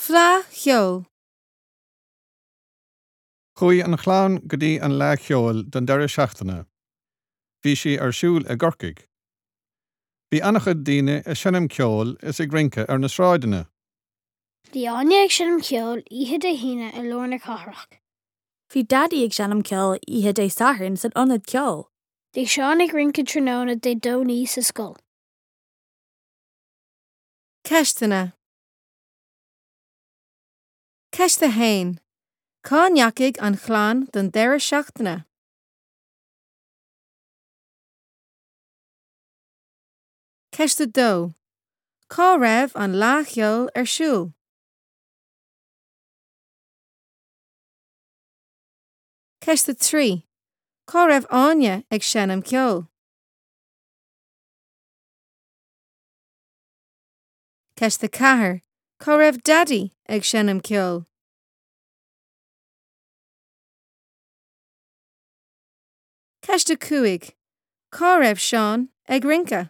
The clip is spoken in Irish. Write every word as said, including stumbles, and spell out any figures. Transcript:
Fleadh Cheoil. Chuaigh an chlann go dtí an Fhleadh Cheoil don deireadh seachtaine. Bhí sí ar siúl i gCorcaigh. Bhí an-chuid daoine ag seinm ceoil is ag rince ar na sráideanna. Bhí Áine ag seinm ceoil oíche Dé hAoine i lár na cathrach. Bhí Daidí ag seinm ceoil oíche Dé Sathairn san ionad ceoil. Bhí Seán ag rince tráthnóna Dé Domhnaigh sa scoil. Ceisteanna Ceist a haon. Cá ndeachaigh an chlann don deireadh seachtaine? Ceist a dó. Cá raibh an Fhleadh Cheoil ar siúl? Ceist a trí. Cá raibh Áine ag seinm ceoil? Ceist a ceathair. Cá raibh Daidí ag seinm ceoil? Ceist a cúig. Cá raibh Seán ag rince?